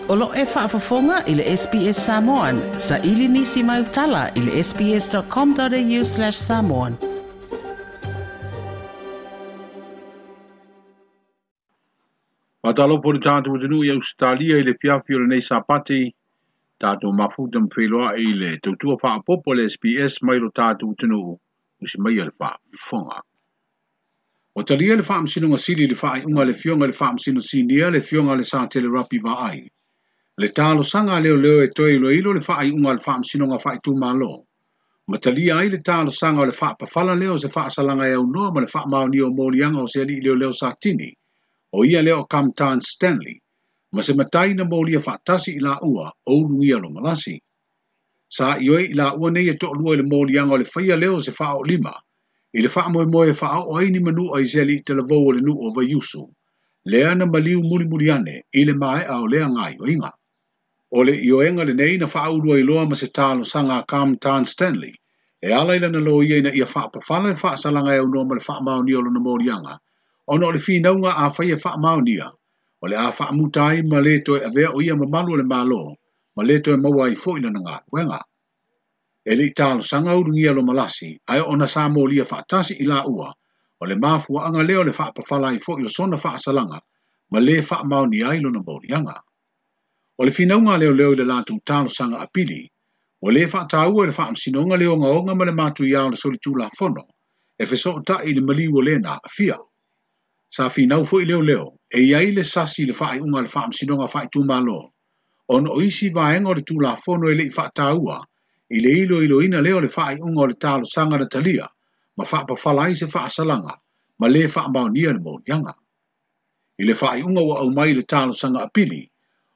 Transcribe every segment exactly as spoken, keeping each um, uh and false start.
O lo e faafofoga i le S B S Samoan. Sa ili nisi mai utala i le sbs.com.au slash samoan. Whatalopo le tātou tunu i Australia i le fiafi o le nei sapati, tātou mafuta mwhiloa i le tautua whaapopo le S B S mai lo tātou tunu usi mai le whaafonga. O talia le whaamsino sili le whaaiunga le fionga le whaamsino sinia le fionga le sa tele rapi vaai. Le tālo sanga leo leo e toi ilo ilo le whaaiunga le whaamsino nga whaaitu malo. Ma talia ai le tālo sanga o le whaapawhala leo se whaasalanga e au noa ma le whaamaoni o molianga o se ali leo leo sa tini. O ia leo Kamtan Stanley, ma se matai na molia whaatasi i la ua o ulungia lo malasi. Sa ioi i la ua nei e to'olua i le molianga o le whaia leo se wha o lima, i le wha moe moe wha o aini manu a iseli i te lavau o le nu o vaiusu, lea na maliu muli muli ane i le mae a o lea ngai o inga. O le ioenga le nei na wha ulua i loa ma se tālo sanga Kamtan Stanley, e ala ila na lo ia ina ia whaapawhala le whaasalanga e au ma le whaamaoni o lona molianga, ona o le whinaunga a whai e whaamaonia, o le a whaamutai ma le toe avea o ia mamalu o le malo, ma le toe maua i fo ina na ngā wenga. E le i tālo sanga urungia lo malasi, ai o na sa molia whaatasi i la ua, o le mafua anga leo le whaapawhala i fo i o sona whaasalanga, ma le whaamaonia ai lona molianga. O le whinaunga leo leo i le lātou tālo sanga apili, o le whaataua le whaamsinonga leo nga onga ma le mātu iao le soli tūla fono, e feso ta i le maliu o lena a fia. Sa whinau fo i leo leo, e iai le sasi le whaai unga le whaamsinonga whaai tūmalo. Ona o isi vaenga o le tūla fono e le i whaataua, i le ilo ilo ina leo le whaai unga o le tālo sanga na talia, ma whaapawhala ai se whaasalanga, ma le whaamaonia le mōrianga. I le whaai unga ua au mai le tālo sanga apili,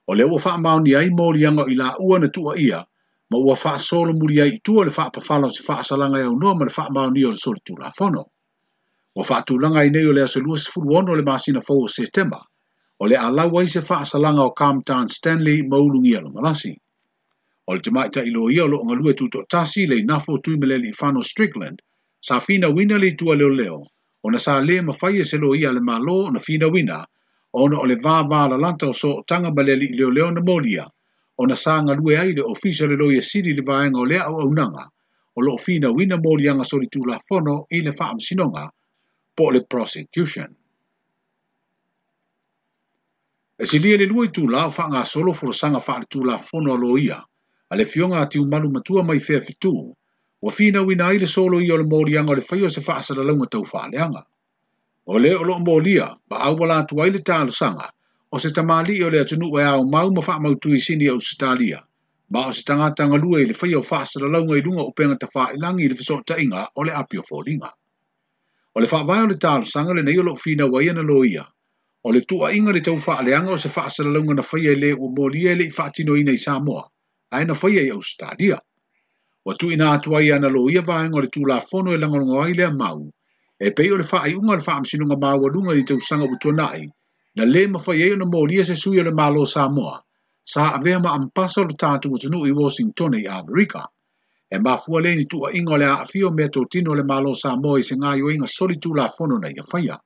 o le ua whaamaonia ai mōrianga i la ua na tua ia, ma ua whaasolo muri ai i tua le whaapawhala o se whaasalanga e au noa ma le whaamaonia o le soli tūla fono. O whaatulanga i nei o le aso lua sefulu ono le masina fou o Setema, o le alau ai se whaasalanga o Kamtan Stanley maulungia lo malasi. O le tamaita i lo ia o lo ngalue tuto tasi le inafo tui meleli i Strickland, sa whina wina le itua leo leo, o na sa le mawhai e se lo ia le malo o na whina wina, ona o le vā vā la lanta o so tanga maleli i leo leo na molia, o na sa ngalue ai le ofisa le loia siri le vaenga o lea au aunanga, o lo whina wina molianga soli tūla fono i le whaamsinonga, po le prosecution. E silia le lua i tūla o whaanga solo furosanga wha le tūla fono alo ia, a le fionga ati umalu matua mai whea fitu, wa whina wina ai le solo ia o le mōrianga o le whaio se whaasala launga tau whaaleanga. O le o lo mōlia, ma awala atu ai le tālosanga, o se tamali o le atunu e au mau ma whaamautu i sini au Australia, ma o se tangata ngalue i le whaio whaasala launga i lunga o penga ta whaelangi i le whasotainga o le apio fōlinga. O le whaavae o le tālosanga le nei o lo whina wai ana lo ia. O le tua inga le tau whaaleanga o se whaasala na whaia le o molia le i whaatino ina i Samoa, ae na whaia i Australia. O tu ina atu ai ana lo ia vaenga o le tūla fono e langolongo ai lea mau, e pei o le whaaiunga o le whaamsinonga māualunga i tau sanga utuanai, na le mawhai ai o na molia se sui o le malo Samoa, sa avea ma ampasa o le tātou atunu i Washington i Amerika. E mafua le ni tua inga o le aafio mea tōtino le malo Samoa i se ngā ioinga soli tūla fono na ia whaia.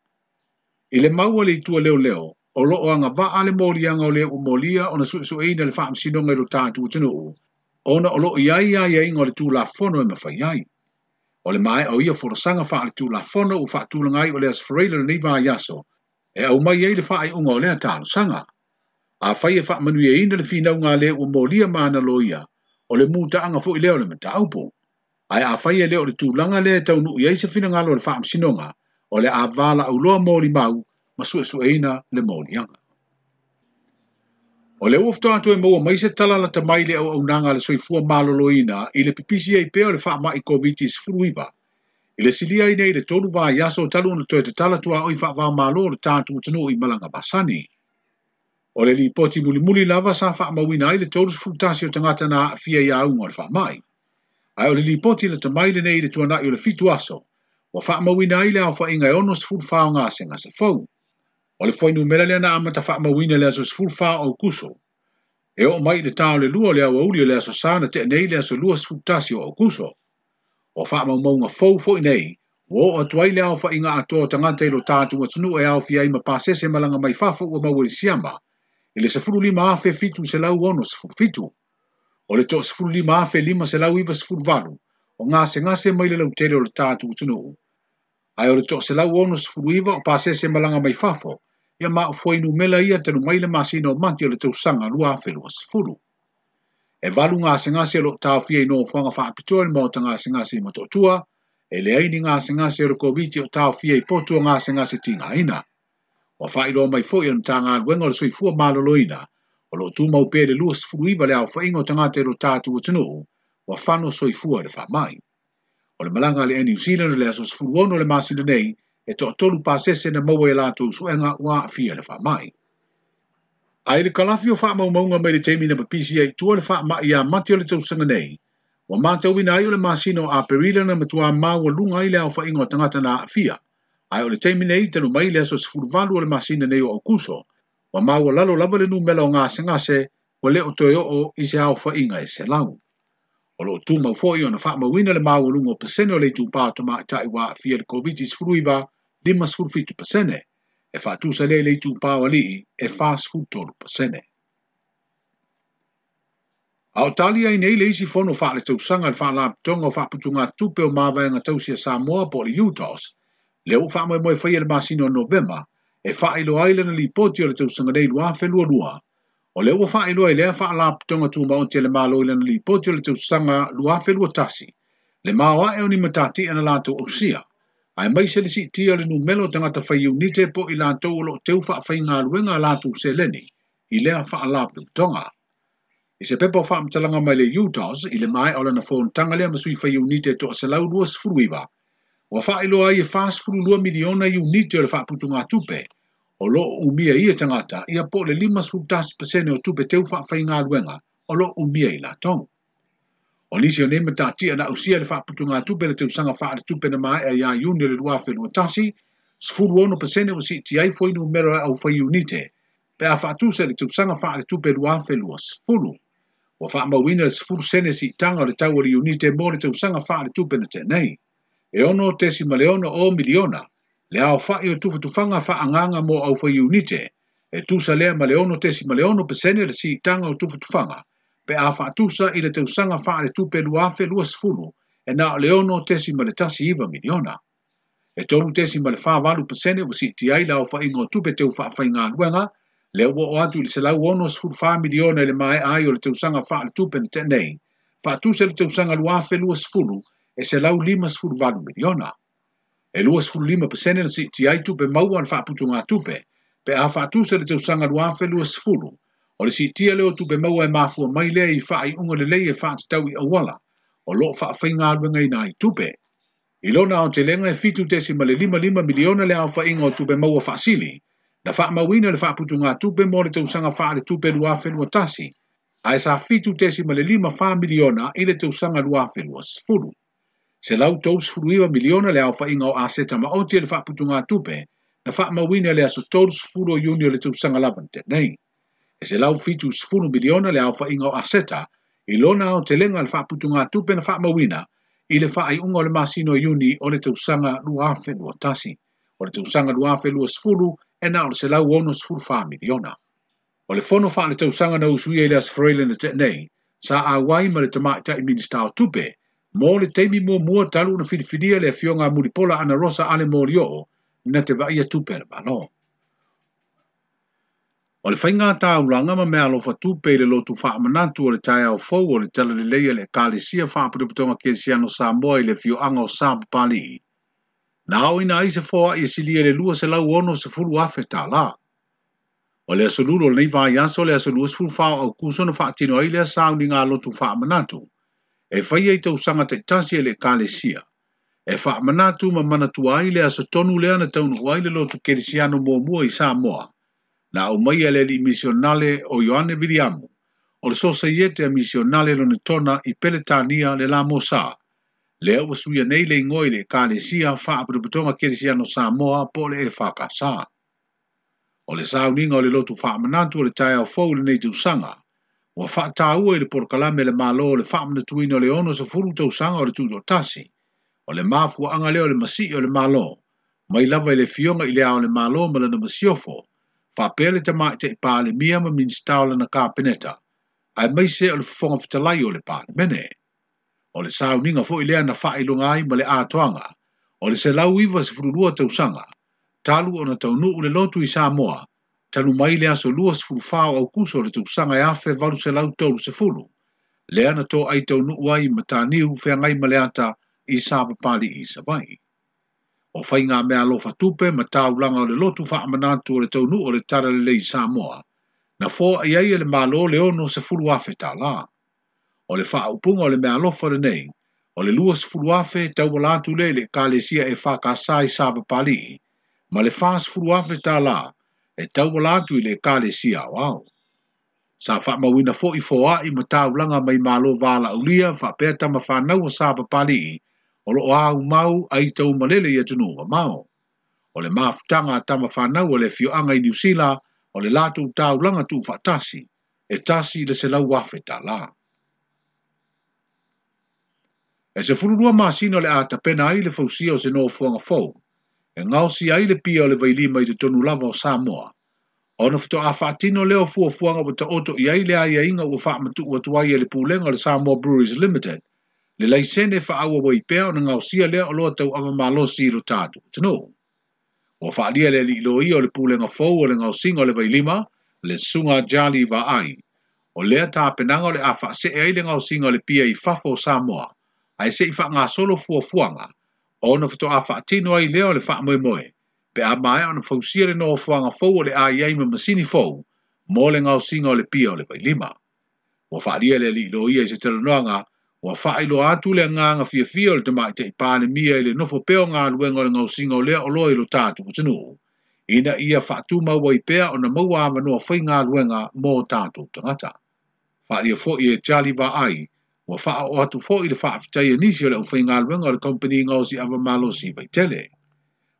I le maua le itua leo leo, o loo anga waa le molianga o le u molia o na suesueina le whaamsinonga i lo tātou atunu, ona o loo iai ia ia inga o le tūla fono e mawhai ai. O le mae o ia forosanga wha le tūla fono u whaatūlangai o le asfareila le nei vā iaso, e au mai ai le whaai unga o lea tālosanga. A whai e whaamanuia ina le whinaunga le u molia maana lo ia, o le mūta anga fo i leo le mataupo. Ai a whai e leo le tūlanga le taunu i aisa whinangalo le whaamsinonga, o le a wāla auloa mōli mau, ma suesueina le mōlianga. O le uafto atu e maua mai se talala ta mai le au aunanga le soifua maloloina i le pipisi ai pea o le whaamai COVID sefulu iva. I le silia i nei le tolu vā iaso talu na toe te talatua o i whaavā malo le tātu utunu i malanga basani. O le lipoti mulimuli lava sa whaamauina ai le tolu sefulu tasi o tangata na fia ia aunga o le whaamai. Ai o le lipoti le tamai le nei le tuanai o le fitu aso, wa whaamauina ai le au whainga e ono sefulu whao ngā se ngā se fau. O le whainu mera lea na amata whaamauina le aso sefulu whao au kuso. E o mai le tao le lua le au auli o le aso sana te nei le aso lua sefulu tasi o au kuso. O whaamaumaunga fau fo i nei, o atu ai le au whainga atoa tangata i lo tātu atunu e au fia i ma pasese malanga mai whafo ua maua i siama. I le sefulu lima afe fitu selau ono sefulu fitu. O le toasefulu lima afe lima selau iva sefulu valu o gasegase mai le lautele o le tatou atunuu. Ae o le toaselau ono sefulu iva o pasese malaga mai fafo, ia ma o fuainumera ia talu mai le masina o Mati o le tausaga lua afe lua sefulu. E valu gasegase o loo taofia i nofoaga faapitoa i le maota gasegase i Motootua, e leai ni gasegase o le Koviti o taofia i potu o gasegase tigaina. Ua faailoa mai foi e le Matagaluega o le Soifua Maloloina, o loo tumau pea le lua sefulu iva le aofaiga o tagata i lo tatou atunuu, ua fano soifua i le faamai. O le malaga a le Air New Zealand o le aso sefulu ono le masina nei, e toatolu pasese na maua i latou suega ua aafia i le faamai. Ae i le kalafi o faamaumauga mai le taimi na papisi ai i tua le faamai ia Mati o le tausaga nei, ua matauina ai o le masina o Aperila na matuā maualuga ai le aofaiga o tagata na aafia. Ae o le taimi nei talu mai le aso sefulu valu o le masina nei o Aukuso, ua maualalo lava le numera o gasegase ua le o toe oo i se aofaiga e selau. O loo tumau foi ona faamauina le maualuga o pasene o le itupā o tamaitai ua aafia i le Koviti sefulu iva, lima sefulu fitu pasene, e faatusa lea i le itupā o alii e fa sefulu tolu pasene. A o tali ai nei le isi fono faaletausaga le Faalapotopotoga o Faaputugatupe o Mavaega Tausi a Samoa po o le U T O S, lea ua faamoemoe faia le masina o Novema, e faailoa ai lana lipoti o le tausaga nei lua afe lua lua. O lea ua faailoa i lea Faalapotopotoga Tumaoti a le Malo i lana lipoti o le tausaga lua afe lua tasi, le maoae o ni matatia na latou ausia, aemaise le siitia o le numera o tagata fai iunite po o i latou o loo teu faafaigaluega a latou seleni i lea Faalapotopotoga. I se pepa o faamatalaga mai le U T O S i le maea o lana fonotaga lea ma sui fai iunite toaselau lua sefulu iva, ua faailoa ai e fa sefulu lua miliona iunite o le faaputugatupe o loo umia ia tagata ia po o le lima sefulu tasi pasene o tupe teu faafaigaluega o loo umia i latou. O nisi o nei matatia na ausia le faaputugatupe le tausaga faaletupe na maea ia Iuni o le lua afe lua tasi, sefulu ono pasene ua siitia ai fuainumera e aufai iunite, pe a faatusa i le tausaga faaletupe lua afe lua sefulu. Ua faamauina le sefulu sene siitaga o le tau o le iunite mo le tausaga faaletupe na tea nei. E ono tesima le ono o miliona, le aofa'i o tufatufaga faaagaaga mo aufai iunite, e tusa lea ma le ono tesima le ono pasene le siitaga o tufatufaga, pe a faatusa i le tausaga faaletupe lua afe lua sefulu, e na o le ono tesima le tasi iva miliona. E tolu tesima le fa valu pasene ua siitia ai le aofaiga o tupe teu faafaigaluega, lea ua oo atu i le selau ono sefulu fa miliona i le maea ai o le tausaga faaletupe na tea nei, faatusa i le tausaga lua afe lua sefulu e selau lima sefulu valu miliona. E lua sefulu lima pasene na siitia ai tupe maua a le faaputugatupe, pe a faatusa i le tausaga lua afe lua sefulu. O le siitia lea o tupe maua e mafua mai lea i faaiuga lelei e faatatau i auala o loo faafaigaluegaina ai tupe. I lona aotelega e fitu tesima le lima lima miliona le aofaiga o tupe maua faasili, na faamauina le faaputugatupe mo le tausaga faaletupe lua afe lua tasi, ae sa fitu tesima le lima fa miliona i le tausaga lua afe lua sefulu. Selau tolu sefulu iva miliona le aofaiga o aseta maoti e le faaputugatupe na faamauina le aso tolu sefulu o Iuni o le tausaga lava na tea nei. E selau fitu sefulu miliona le aofaiga o aseta i lona aotelega le faaputugatupe na faamauina i le faaiuga o le masina o Iuni o le tausaga lua afe lua tasi. O le tausaga lua afe lua sefulu e na o le selau ono sefulu fa miliona. O le fono faaletausaga na usuia i le Aso Faraile na tea nei, sa auai ma le tamaitai Minista o Tupe, mo le taimi muamua talu na filifilia le afioga a Mulipola Anarosa Ale Molioo na te vaaia tupe a le Malo. O le faiga taulaga ma meaalofa tupe i le lotu faamanatu o le taeao fou o le talalelei a le Ekalesia Faalapotopotoga Kerisiano Samoa i le afioaga o Sapapalii, na aoina ai se foai e silia i le lua selau ono sefulu afe tālā. O le aso Lua o lenei vaiaso le aso lua sefulu fa o Aukuso na faatino ai lea sauniga lotu faamanatu, e faia i tausaga taitasi e le Ekalesia, e faamanatu ma manatua ai le aso tonu lea na taunuu ai le lotu Kerisiano muamua i Samoa, na aumaia le alii misionale o Ioane Viliamu, o le Sosaiete a Misionale lona tona i Peletania le la Mosā, lea ua suia nei le igoa i le Ekalesia Faalapotopotoga Kerisiano Samoa po o le E F K S. O le sauniga o le lotu faamanatu o le taeao fou i lenei tausaga, ua faataua i le polokalame a le Malo o le faamanatuina o le ono sefulu tausaga o le tutoatasi. O le mafuaaga lea o le masii o le Malo, mai lava i le afioga i le Ao o le Malo ma lana masiofo, Faapea le Tamaitai Palemia ma Minisita o lana Kapeneta, aemaise o le Fofoga Fetalai o le Palemene. O le sauniga foi lea na faailoga ai ma le atoaga o le selau iva sefulu lua tausaga, talu ona taunuu le lotu i Samoa, talu mai le aso lua sefulu fa o Aukuso o le tausaga e afe valu selau tolu sefulu, lea na toai taunuu ai Mataniu feagai ma le ata i Sapapalii i Savaii. O faiga mea alofa tupe ma taulaga o le lotu faamanatu o le taunuu o le Talalelei i Samoa, na foai ai e le Malo le ono sefulu afe tālā. O le faaupuga o le mea alofa lenei, o le lua sefulu afe tauala atu lea i le Ekalesia e Fakasa i Sapapalii, ma le fa sefulu afe tālā e tauala atu i le Ekalesia Aoao. Sa faamauina foi foai ma taulaga mai Malo Valaulia faapea tama fanau o Sapapalii o loo au mau ai tau malele i atunuu mamao. O le mafutaga a tama fanau o le afioaga i Niu Sila o le latou taulaga tuufaatasi e tasi le selau afe tālā. E sefulu lua masina o le a tapena ai le fausia o se nofoaga fou, e gaosia ai le pia o le vailima i totonu lava o Samoa. Ona faatoa faatino lea o fuafuaga ua taoto i ai le aiaiga ua faamatuu atu ai e le pulega o le Samoa Breweries Limited, le laisene faaauau pea ona gaosia lea o loa tauava malosi i lo tatou atunuu. Ua faalia le alii loia o le pulega fou o le gaosiga o le vailima, le Susuga Jali Vaai. O lea tapenaga o le a faasee ai le gaosiga o le pia i fafo o Samoa, ae se i faagasolo fuafuaga, ona faatoa faatino ai lea o le faamoemoe, pe a maea ona fausia le nofoaga fou o le a i ai ma masini fou mo le gaosiga o le pia o le vailima. Ua faalia le alii loia i se talanoaga, ua faailoa atu le agaga fiafia o le Tamaitai Palemia i le nofo pea o galuega o le gaosiga o lea oloa i lo tatou atunuu, ina ia faatumau ai pea ona maua avanoa faigaluega mo tatou tagata. Faalia foi e Charlie Vaai, ua faaoo atu foi le faafetai a nisi o le aufaigaluega o le Kamupani Gaosi Ava Malosi i Vaitele.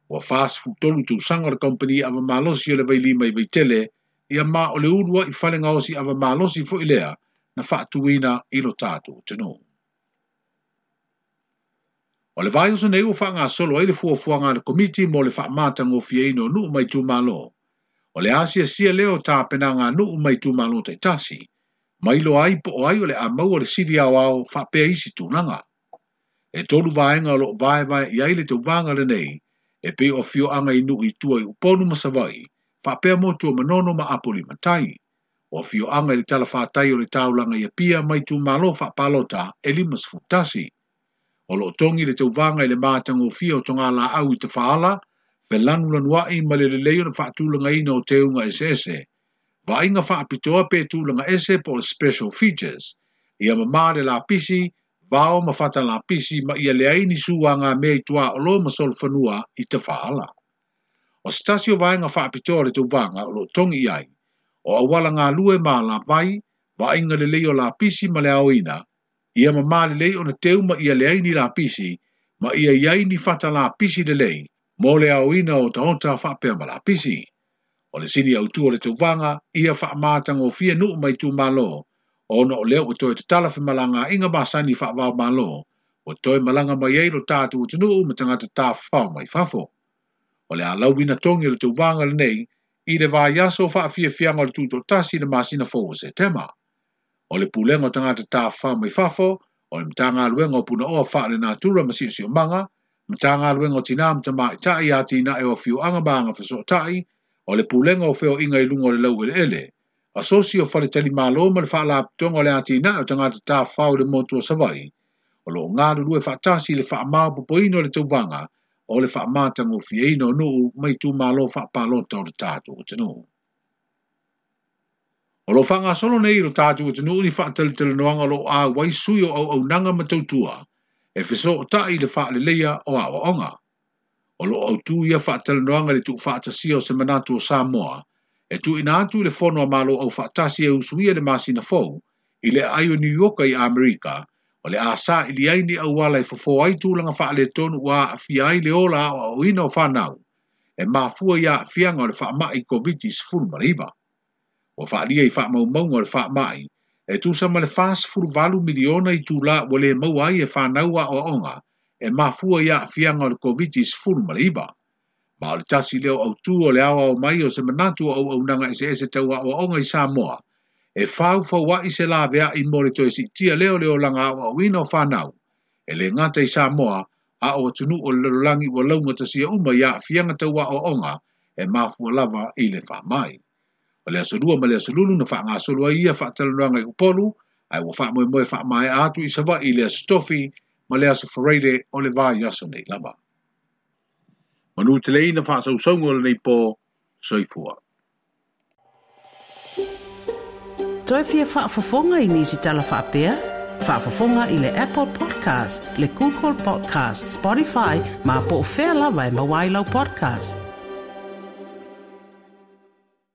Ua fa sefulu tolu tausaga o le Kamupani Ava Malosi o le Vailima i Vaitele, ia ma o le uluai fale gaosi ava malosi foi lea na faatuina i lo tatou atunuu. O le vaiaso nei ua faagasolo ai le fuafuaga a le Komiti mo le faamatagofieina o nuu ma itumalo. O le asiasia lea o tapenaga a nuu ma itumalo taitasi, mai loa ai po o ai o le a maua le sili aoao faapea isi tulaga. E tolu vaega o loo vaevae i ai le tauvaga lenei, e pei o afioaga i nuu i tua i Upolu ma Savaii, faapea motu o Manono ma Apolima-tai. O afioaga i le talafatai o le taulaga i Apia ma itumalo faapalota e lima sefulu tasi. O loo togi le tauvaga i le matagofie o togalaau i Tafaala, felanulanuai ma le lelei ona faatulagaina o teuga eseese. Vaaiga faapitoa pe tulaga ese po o special features, ia mamā le lapisi, vao ma fata lapisi ma ia leai ni suaga mea i tuaolo ma solofanua i Tafaala. O se tasi o vaega faapitoa o le tauvaga o loo togi i ai, o auala galue ma alavai, vaaiga lelei o lapisi ma le aoina, ia mamā lelei ona teu ma ia leai ni lapisi, ma ia iai ni fata lapisi lelei, mo le aoina o taota faapea ma lapisi. O le sini autu o le tauvaga, ia faamatagofie nuu ma itumalo, ona o lea ua toe tatala femalagaaiga masani faavao malo, ua toe malaga mai ai lo tatou atunuu ma tagata tafafao mai fafo. O le alauina togi o le tauvaga lenei, i le vaiaso faafiafiaga o le tutoatasi i le masina fou o Setema. O le pulega o tagata tafafao mai fafo, o le Matagaluega o Punaoa Faalenatura ma Siosiomaga, Matagaluega o Tinā ma Tamaitai Atinae o Afioaga ma Agafesootai, o le pulega o feoaiga i luga o le laueleele, asosi o Faletalimalo ma le faalapotopotoga o le atinae o tagata tafafao i le motu o Savaii, o loo galulue faatasi i le faamaopoopoina o le tauvaga o le faamatagofieina o nuu ma itumalo faapalota o le tatou atunuu. O lo faagasolo nei i lo tatou atunuu ni faatalatalanoaga o loo auai sui o auaunaga ma tautua e fesootai i le faaleleia o aoaoga. O loo autū ia faatalanoaga i le tuufaatasia o se manatu o Samoa, e tuuina atu i le fono a Malo Aufaatasi e usuia le masina fou i le aai o New York i Amerika, o le a saili ai ni auala e fofo ai tulaga faaletonu ua aafia ai le ola aoaoina o fanau, e mafua i aafiaga o le faamai Koviti sefulu ma le iva. Ua faalia i faamaumauga o le faamai, e tusa ma le fa sefulu valu miliona i tula ua le maua ai e fanau aoaoga, e mafua i aafiaga o le Koviti sefulu ma le iva. Ma o le tasi lea o autū o le aoao mai o se manatu o auaunaga eseese tau aoaoga i Samoa, e faufaua'i se lavea'i mo le toe si'itia lea o le olaga aoaoina o fanau, e lē gata i Samoa, a o atunuu o le lalolagi ua laugatasia uma i aafiaga tau aoaoga e mafua lava i le faamai. O le aso lua ma le aso lulu na faagasolo ai ia faatalanoaga i Upolu, ae ua faamoemoe faamaea atu i Savaii i le aso Tofi ma le aso Faraile o le vaiaso nei lava. Manu teleina faasausauga o lenei po, soifua. Toe fia faafofoga i nisi tala faapea? Faafofoga i le Apple Podcast, le Google Podcast, Spotify, ma po o fea lava e maua ai lau podcast.